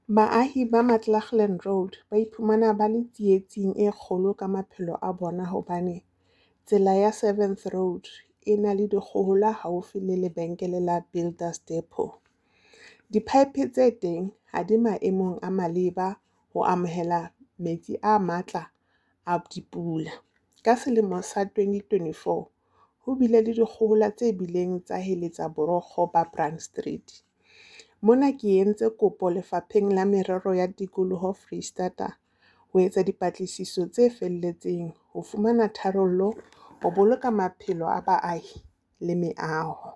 Baahi ba Mclachlan Road ba iphumana ba le tsietsing e kgolo ka maphelo a bona hobane tsela ya Seventh Road e na le dikgohola haufi le lebenkele la Builders Depot. Di-pipe tse teng ha di maemong a maleba ho amohela metsi a matla a dipula. Ka selemo sa 2024 ho bile le dikgohola tse bileng tsa heletsa borokgo ba Brand Street. Mona ke entse kopo Lefapheng la Merero ya Tikoloho Foreisetata ho etsa dipatlisiso tse felletseng ho fumana tharollo ho boloka maphelo a baahi le meaho.